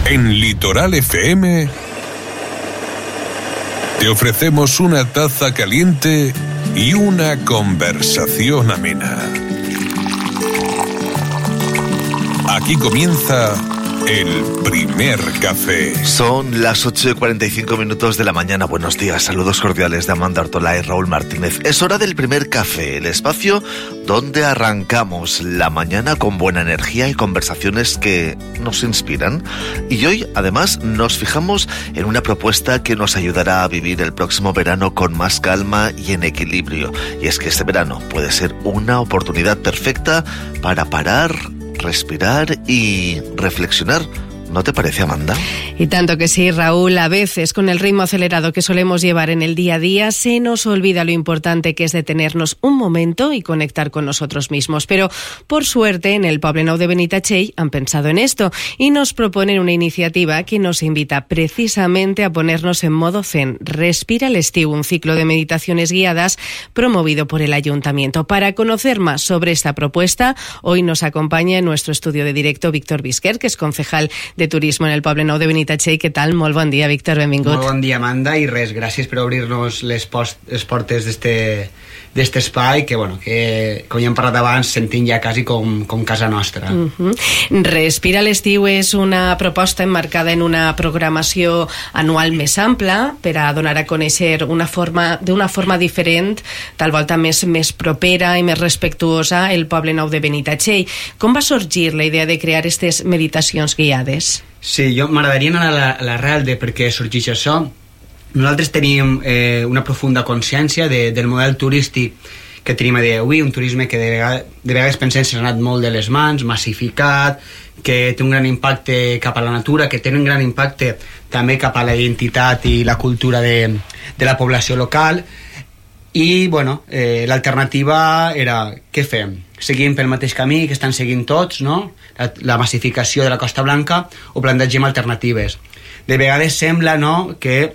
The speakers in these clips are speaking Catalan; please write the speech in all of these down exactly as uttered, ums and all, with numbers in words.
En Litoral F M te ofrecemos una taza caliente y una conversación amena. Aquí comienza el primer café. Son las ocho y cuarenta y cinco minutos de la mañana. Buenos días, saludos cordiales de Amanda Ortola y Raúl Martínez. Es hora del primer café, el espacio donde arrancamos la mañana con buena energía y conversaciones que nos inspiran. Y hoy, además, nos fijamos en una propuesta que nos ayudará a vivir el próximo verano con más calma y en equilibrio. Y es que este verano puede ser una oportunidad perfecta para parar, respirar y reflexionar. ¿No te parece, Amanda? Y tanto que sí, Raúl. A veces, con el ritmo acelerado que solemos llevar en el día a día, se nos olvida lo importante que es detenernos un momento y conectar con nosotros mismos. Pero, por suerte, en el Poblenou de Benitatxell han pensado en esto y nos proponen una iniciativa que nos invita precisamente a ponernos en modo zen. Respira l'estiu, un ciclo de meditaciones guiadas promovido por el Ayuntamiento. Para conocer más sobre esta propuesta, hoy nos acompaña en nuestro estudio de directo Víctor Bisquer, que es concejal de Turismo en el Poblenou de Benitatxell. Què tal? Molt bon dia, Víctor, benvingut. Molt bon dia, Amanda, i res, gràcies per obrir-nos les, post, les portes d'este espai, que, bueno, que, com ja hem parlat abans, sentim ja quasi com, com casa nostra. Uh-huh. Respira l'estiu és una proposta emmarcada en una programació anual més ampla per a donar a conèixer una forma, d'una forma diferent, tal volta més, més propera i més respectuosa, el Poblenou de Benitatxell. Com va sorgir la idea de crear aquestes meditacions guiades? Sí, jo m'agradaria anar a l'arrel de per què sorgeix això. Nosaltres tenim eh, una profunda consciència de, del model turístic que tenim a dia d'avui, un turisme que de vegades, de vegades pensem s'ha anat molt de les mans, massificat, que té un gran impacte cap a la natura, que té un gran impacte també cap a la identitat i la cultura de, de la població local. I, bueno, eh, l'alternativa era, què fem? Seguim pel mateix camí que estan seguint tots, no? La, la massificació de la Costa Blanca, o plantegem alternatives. De vegades sembla, no?, que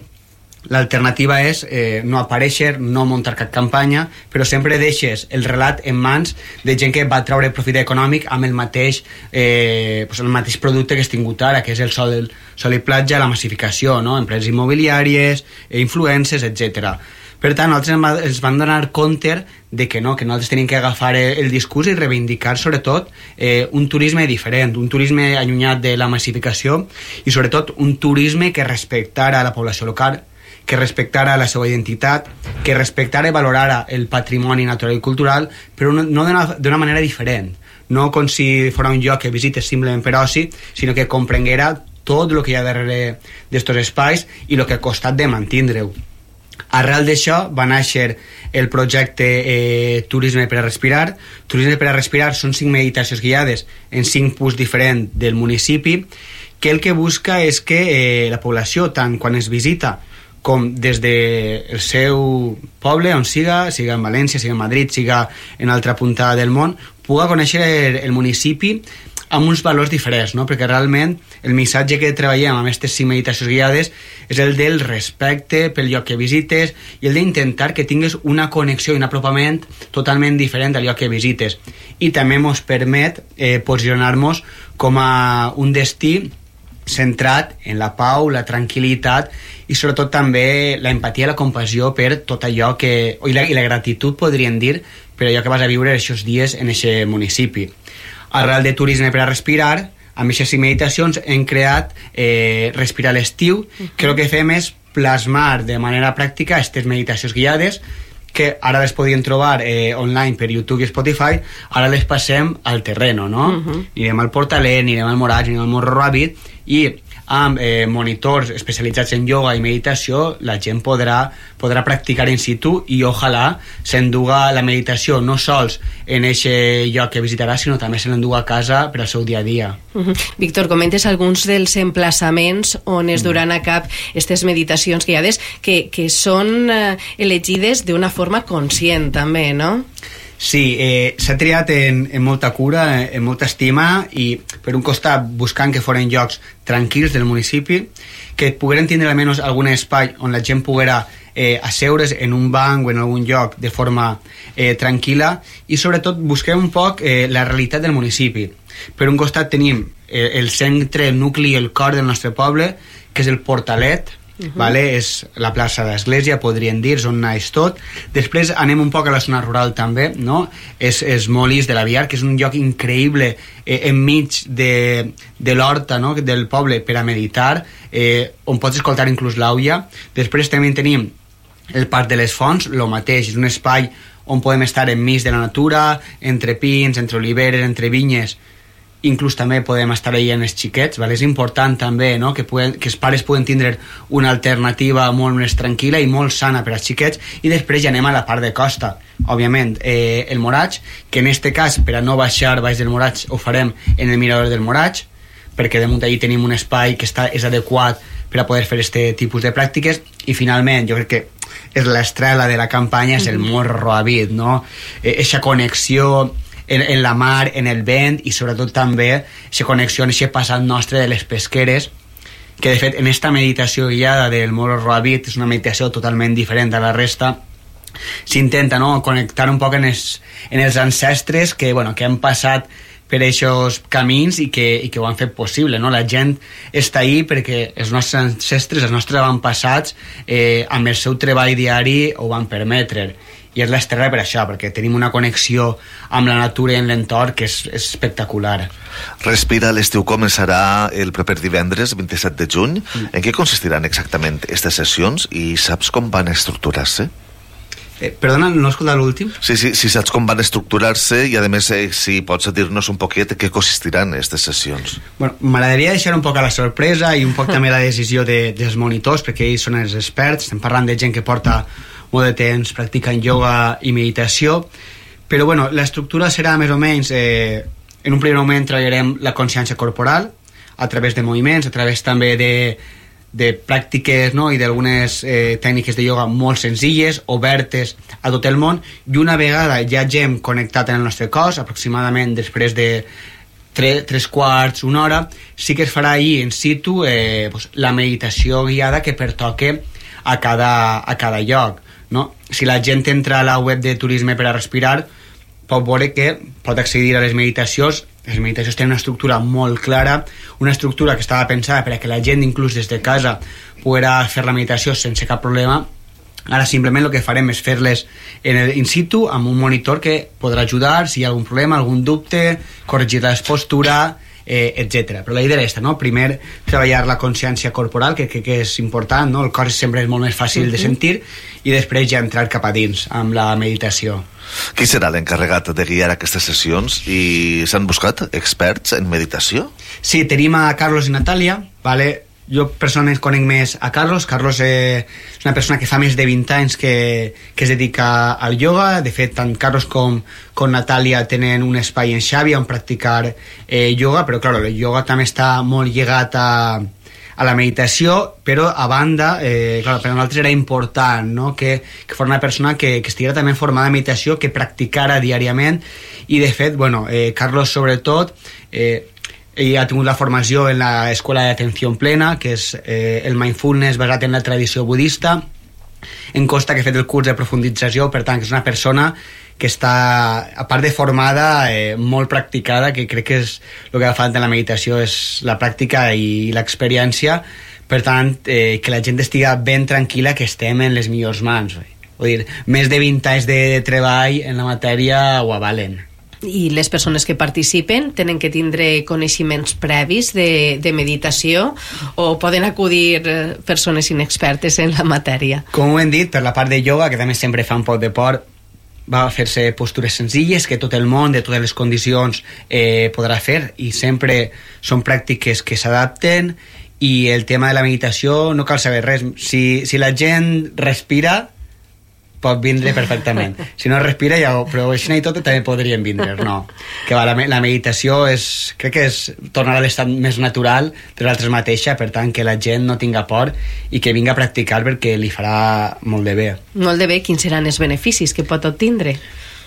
l'alternativa és eh, no aparèixer, no muntar cap campanya, però sempre deixes el relat en mans de gent que va treure profit econòmic amb el mateix, eh, pues el mateix producte que has tingut ara, que és el sol, sol i platja, la massificació, no? Empreses immobiliàries, influencers, etcètera. Per tant, nosaltres ens vam donar compte de que no, que nosaltres tenim que agafar el discurs i reivindicar, sobretot, eh, un turisme diferent, un turisme allunyat de la massificació i, sobretot, un turisme que respectara la població local, que respectara la seva identitat, que respectara i valorara el patrimoni natural i cultural, però no, no d'una manera diferent. No com si fos un lloc que visites simplement per oci, sinó que comprenguera tot el que hi ha darrere d'estos espais i el que ha costat de mantindre-ho. Arrel d'això va néixer el projecte eh, Turisme per a Respirar. Turisme per a Respirar són cinc meditacions guiades en cinc punts diferents del municipi, que el que busca és que eh, la població, tant quan es visita com des del seu poble, on siga, siga en València, siga en Madrid, siga en altra punta del món, puga conèixer el, el municipi amb uns valors diferents, no? Perquè realment el missatge que treballem amb aquestes cinc meditacions guiades és el del respecte pel lloc que visites i el d'intentar que tingues una connexió i un apropament totalment diferent al lloc que visites. I també ens permet eh, posicionar-nos com a un destí centrat en la pau, la tranquil·litat i sobretot també la empatia i la compassió per tot allò que... i la, i la gratitud, podríem dir, per allò que vas a viure aquests dies en aquest municipi. Arrel de Turisme per a Respirar, amb aquestes meditacions hem creat eh, Respirar l'estiu, uh-huh. que el que fem és plasmar de manera pràctica aquestes meditacions guiades, que ara les podien trobar eh, online per YouTube i Spotify, ara les passem al terreno, no? Uh-huh. Anirem al Portalet, anirem al Moraig, anirem al Morro Ràbid, i amb eh, monitors especialitzats en ioga i meditació la gent podrà, podrà practicar in situ i ojalà s'enduga la meditació no sols en aquest lloc que visitarà, sinó també se l'enduga a casa per al seu dia a dia. Uh-huh. Víctor, comentes alguns dels emplaçaments on es duran a cap aquestes meditacions guiades que, que són eh, elegides d'una forma conscient també, no? Sí, eh, s'ha triat en, en molta cura, en molta estima i per un costat buscant que foren llocs tranquils del municipi, que pogueren tindre almenys algun espai on la gent poguera eh, asseure's en un banc o en algun lloc de forma eh, tranquil·la i sobretot busquem un poc eh, la realitat del municipi. Per un costat tenim el centre, el nucli, el cor del nostre poble, que és el Portalet, uh -huh. vale? És la plaça d'Església, podríem dir, és on naix tot. Després anem un poc a la zona rural també, no? És, és Molís de l'Aviar, que és un lloc increïble eh, enmig de, de l'horta, no? Del poble per a meditar, eh, on pots escoltar inclús l'àuia. Després també tenim el Parc de les Fonts, el mateix, és un espai on podem estar enmig de la natura, entre pins, entre oliveres, entre vinyes. Inclús també podem estar allà amb els xiquets, vale? És important també, no? que, puguen, que els pares puguen tindre una alternativa molt més tranquil·la i molt sana per als xiquets. I després ja anem a la part de costa, òbviament, eh, el Moraig, que en este cas, per a no baixar baix del Moraig, ho farem en el mirador del Moraig, perquè damunt allí tenim un espai que està, és adequat per a poder fer aquest tipus de pràctiques. I finalment, jo crec que és l'estrela de la campanya, és el Morro Àvid, no? Eixa connexió en, en la mar, en el vent, i sobretot també eixa connexió en aquest passat nostre de les pesqueres, que de fet en esta meditació guiada del Morro Àvid és una meditació totalment diferent a la resta. S'intenta, no?, connectar un poc en els, en els ancestres que, bueno, que han passat per aquests camins i que, i que ho han fet possible, no? La gent està ahí perquè els nostres ancestres, els nostres avantpassats, eh, amb el seu treball diari ho van permetre. I és l'estrella per això, perquè tenim una connexió amb la natura i amb l'entorn que és, és espectacular. Respira l'estiu començarà el proper divendres, vint-i-set de juny. Mm. En què consistiran exactament aquestes sessions i saps com van estructurar-se? Eh, perdona, no he escoltat l'últim? Sí, sí, si saps com van estructurar-se i a més eh, si pots dir-nos un poquet què consistiran aquestes sessions. Bueno, m'agradaria deixar un poc a la sorpresa i un poc també la decisió de, dels monitors, perquè ells són els experts. Estem parlant de gent que porta molt de temps practicant ioga i meditació, però bueno, l'estructura serà més o menys eh, en un primer moment treballarem la consciència corporal a través de moviments, a través també de de pràctiques, no?, i d'algunes eh, tècniques de ioga molt senzilles, obertes a tot el món, i una vegada ja hagem connectat en el nostre cos, aproximadament després de tres, tres quarts, una hora, sí que es farà allí in situ eh, pues, la meditació guiada que pertoque a cada, a cada lloc, no? Si la gent entra a la web de Turisme per a Respirar, pot veure que pot accedir a les meditacions. Les meditacions tenen una estructura molt clara, una estructura que estava pensada per a que la gent, inclús des de casa, podrà fer la meditació sense cap problema. Ara simplement el que farem és fer-les en el in situ amb un monitor que podrà ajudar si hi ha algun problema, algun dubte, corregir la postura, eh, etcètera. Però la idea és esta, no? Primer treballar la consciència corporal, que crec que és important, no? El cor sempre és molt més fàcil uh-huh. de sentir, i després ja entrar cap a dins amb la meditació. Qui serà l'encarregat de guiar aquestes sessions i s'han buscat experts en meditació? Sí, tenim a Carlos i Natàlia, vale? Jo personalment conec més a Carlos. Carlos eh, és una persona que fa més de vint anys que, que es dedica al ioga. De fet, tant Carlos com, com Natàlia tenen un espai en Xàbia on practicar eh, ioga, però clar, el ioga també està molt lligat a a la meditació, però a banda eh, clar, per a nosaltres era important, no? que, que fos una persona que, que estiguera també formada en meditació, que practicara diàriament, i de fet, bueno, eh, Carlos sobretot eh, ell ha tingut la formació en l'escola d'atenció plena, que és eh, el mindfulness basat en la tradició budista. Em consta que ha fet el curs de profundització, per tant que és una persona que està, a part de formada, eh, molt practicada, que crec que és el que fa falta en la meditació, és la pràctica i l'experiència. Per tant, eh, que la gent estigui ben tranquil·la, que estem en les millors mans. Vull dir, més de vint anys de treball en la matèria ho avalen. I les persones que participen tenen que tindre coneixements previs de, de meditació, o poden acudir persones inexpertes en la matèria? Com ho hem dit, per la part de ioga, que també sempre fa un poc de por, va fer-se postures senzilles que tot el món, de totes les condicions, eh, podrà fer, i sempre són pràctiques que s'adapten. I el tema de la meditació no cal saber res. Si, si la gent respira, pot vindre perfectament. Si no respira, ja ho, però així i tot també podrien vindre, no? Que va, la, la meditació és, crec que és tornar a l'estat més natural de l'altres mateixa, per tant que la gent no tinga por i que vinga a practicar perquè li farà molt de bé. Molt de bé. Quins seran els beneficis que pot obtindre?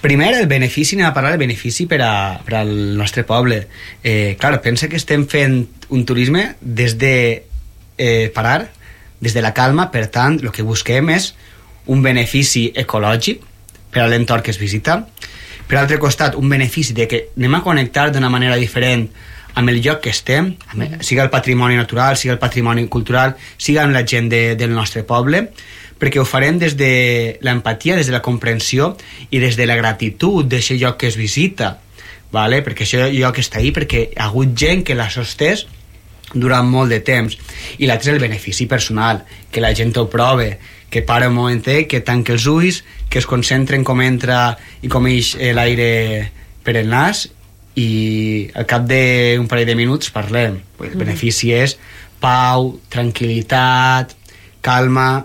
Primer, el benefici, anem a parlar del benefici per, a, per al nostre poble. Eh, clar, pensa que estem fent un turisme des de eh, parar, des de la calma, per tant, el que busquem és un benefici ecològic per a l'entorn que es visita, Per altre costat, un benefici de que anem a connectar d'una manera diferent amb el lloc que estem, amb, sigui el patrimoni natural, sigui el patrimoni cultural, sigui amb la gent de, del nostre poble, perquè ho farem des de l'empatia, des de la comprensió i des de la gratitud d'aquest lloc que es visita, vale? Perquè aquest lloc està ahí perquè hi ha hagut gent que l'ha sostès durant molt de temps. I l'altre és el benefici personal, que la gent ho prove, que para un momentet, que tanque els ulls, que es concentren com entra i com ix l'aire per el nas, i al cap d'un parell de minuts parlem. El benefici és pau, tranquil·litat, calma,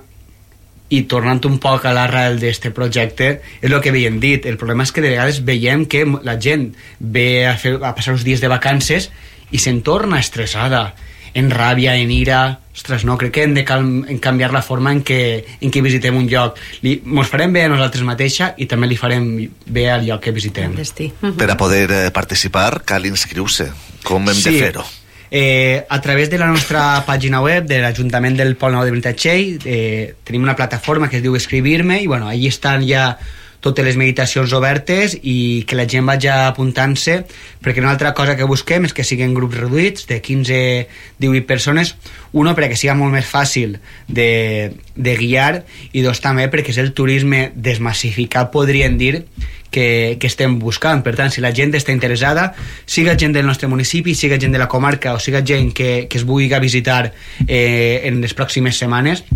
i tornant un poc a l'arrel d'aquest projecte, és el que havíem dit. El problema és que de vegades veiem que la gent ve a, fer, a passar uns dies de vacances i se'n torna estressada, en ràbia, en ira. Ostres, no, crec que hem de cal- en canviar la forma en què, en què visitem un lloc. Li, mos farem bé a nosaltres mateixa i també li farem bé al lloc que visitem. Per a poder eh, participar cal inscriure-se. Com hem Sí. de fer-ho? Eh, a través de la nostra pàgina web de l'Ajuntament del Pol Nou de Benitatxell eh, tenim una plataforma que es diu Escribir-me, i bueno, allí estan ja totes les meditacions obertes i que la gent vagi apuntant-se, perquè una altra cosa que busquem és que siguin grups reduïts de quinze a divuit persones, uno perquè sigui molt més fàcil de, de guiar, i dos també perquè és el turisme desmassificat, podríem dir, que, que estem buscant. Per tant, si la gent està interessada, siga gent del nostre municipi, siga gent de la comarca o siga gent que, que es vulgui visitar eh, en les pròximes setmanes,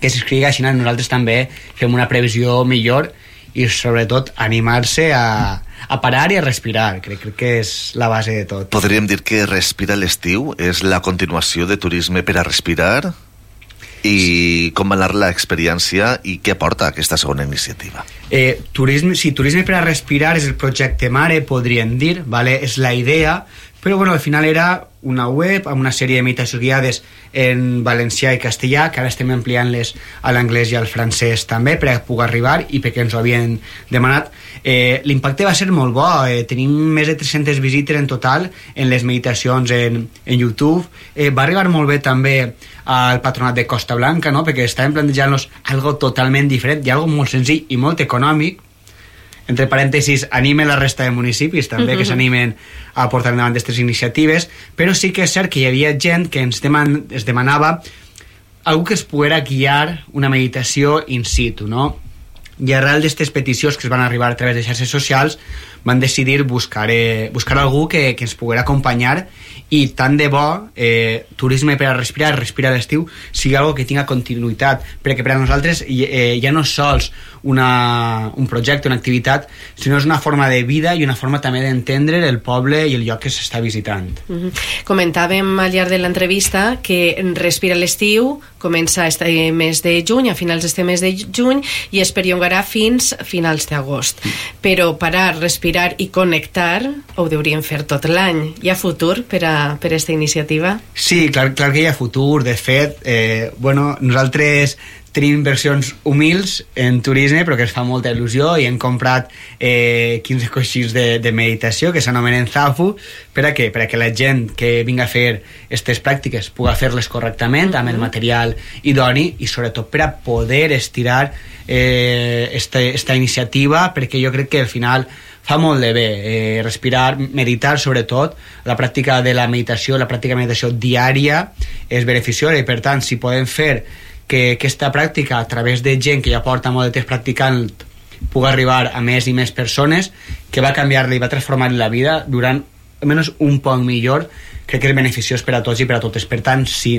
que s'inscrigui, així nosaltres també fem una previsió millor i sobretot animar-se a, a parar i a respirar. Crec, crec que és la base de tot. Podríem dir que Respira l'estiu és la continuació de Turisme per a Respirar, i com va anar l'experiència i què aporta aquesta segona iniciativa? Eh, turisme, sí, Turisme per a Respirar és el projecte mare, podríem dir, vale? És la idea, però bueno, al final era una web amb una sèrie de meditacions guiades en valencià i castellà, que ara estem ampliant-les a l'anglès i al francès també, per a poder arribar i perquè ens ho havien demanat. Eh, l'impacte va ser molt bo, eh, tenim més de tres-centes visites en total en les meditacions en, en YouTube. Eh, va arribar molt bé també al Patronat de Costa Blanca, no? Perquè estàvem plantejant-nos algo totalment diferent i algo molt senzill i molt econòmic. Entre parèntesis, anime la resta de municipis també, que s'animen a portar endavant aquestes iniciatives, però sí que és cert que hi havia gent que ens deman es demanava algú que es poguera guiar una meditació in situ, no? I arrel d'aquestes peticions que es van arribar a través de xarxes socials, van decidir buscar, eh, buscar algú que, que ens poguera acompanyar, i tant de bo eh, Turisme per a Respirar, Respira l'estiu, sigui algo que tinga continuïtat, perquè per a nosaltres eh, ja no és sols una, un projecte, una activitat, sinó és una forma de vida i una forma també d'entendre el poble i el lloc que s'està visitant. Mm-hmm. Comentàvem al llarg de l'entrevista que Respira l'estiu comença este mes de juny, a finals d'este mes de juny, i es perllongarà fins finals d'agost. Però parar, respirar i connectar ho hauríem fer tot l'any. Hi ha futur per a per aquesta iniciativa? Sí, clar, clar que hi ha futur. De fet, eh, bueno, nosaltres tenim inversions humils en turisme, però que ens fa molta il·lusió, i hem comprat eh, quinze coixins de, de meditació que s'anomenen Zafu. Per a què? Per a que la gent que vinga a fer aquestes pràctiques pugui fer-les correctament, amb el material idoni, i sobretot per a poder estirar eh, esta, esta iniciativa, perquè jo crec que al final fa molt de bé eh, respirar, meditar sobretot. La pràctica de la meditació, la pràctica de meditació diària és beneficiosa, i per tant, si podem fer que aquesta pràctica, a través de gent que ja porta molt de temps practicant, pugui arribar a més i més persones, que va canviar-li i va transformar la vida durant almenys un poc millor, crec que és beneficiós per a tots i per a totes. Per tant, sí,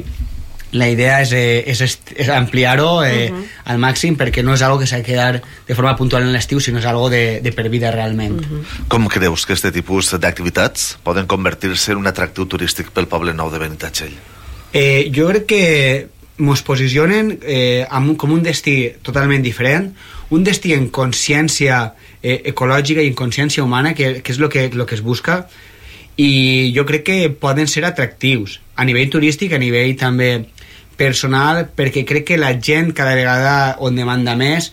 la idea és, eh, és, és ampliar-ho eh, uh-huh. al màxim, perquè no és algo que s'ha de quedar de forma puntual en l'estiu, sinó és algo de, de per vida realment. Uh-huh. Com creus que aquest tipus d'activitats poden convertir-se en un atractiu turístic pel Poble Nou de Benitatxell? Eh, jo crec que mos posicionen eh, amb, com un destí totalment diferent, un destí en consciència eh, ecològica i en consciència humana, que, que és el que, lo que es busca, i jo crec que poden ser atractius a nivell turístic, a nivell també personal, perquè crec que la gent cada vegada on demanda més,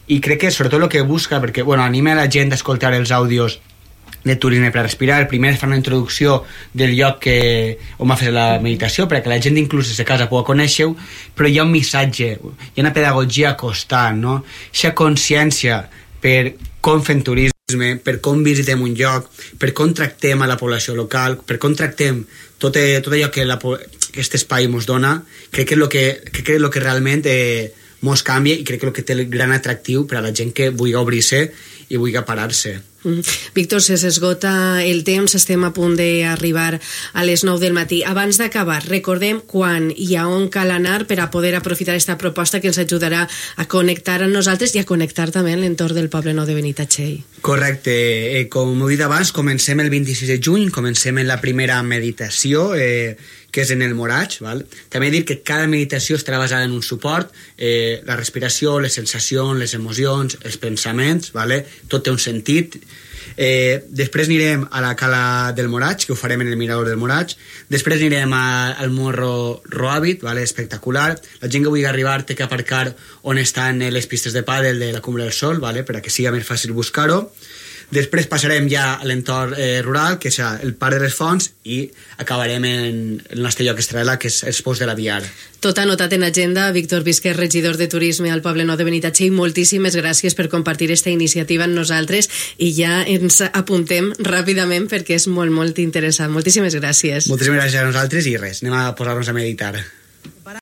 i crec que sobretot el que busca, perquè bueno, anima la gent a escoltar els àudios de Turisme per a Respirar. Primer fa una introducció del lloc que, on va fer la meditació, perquè la gent inclús des de casa pugui conèixer-ho, però hi ha un missatge, hi ha una pedagogia constant, no? Aquesta consciència per com fem turisme, per com visitem un lloc, per com tractem a la població local, per com tractem tot, tot allò que la, aquest espai ens dona, crec que és el que, crec que és el que realment eh, mos canvia i crec que és el que té el gran atractiu per a la gent que vulgui obrir-se i vulgui parar-se. Mm. Víctor, se s'esgota el temps, estem a punt d'arribar a les nou del matí. Abans d'acabar, recordem quan i a on cal anar per a poder aprofitar aquesta proposta que ens ajudarà a connectar amb nosaltres i a connectar també amb l'entorn del Poble Nou de Benitatxell. Correcte, eh, com heu dit abans, comencem el vint-i-sis de juny, comencem en la primera meditació, eh, que és en el Moratx, val? També dir que cada meditació estarà basada en un suport, eh, la respiració, les sensacions, les emocions, els pensaments, vale? Tot té un sentit. Eh, després anirem a la cala del Moratx, que ho farem en el mirador del Moratx. Després anirem a, al Morro Roàbit, vale? Espectacular. La gent que vulgui arribar té que aparcar on estan les pistes de pàdel de la Cumbre del Sol, vale? Per a que sigui més fàcil buscar-ho. Després passarem ja a l'entorn eh, rural, que és el Parc de les Fonts, i acabarem en el nostre lloc estrella, que és els Pous de la Viar. Tot anotat en agenda. Víctor Visquer, regidor de Turisme al Poble Nou de Benitatxell, moltíssimes gràcies per compartir aquesta iniciativa amb nosaltres i ja ens apuntem ràpidament perquè és molt, molt interessant. Moltíssimes gràcies. Moltíssimes gràcies a nosaltres i res, anem a posar-nos a meditar.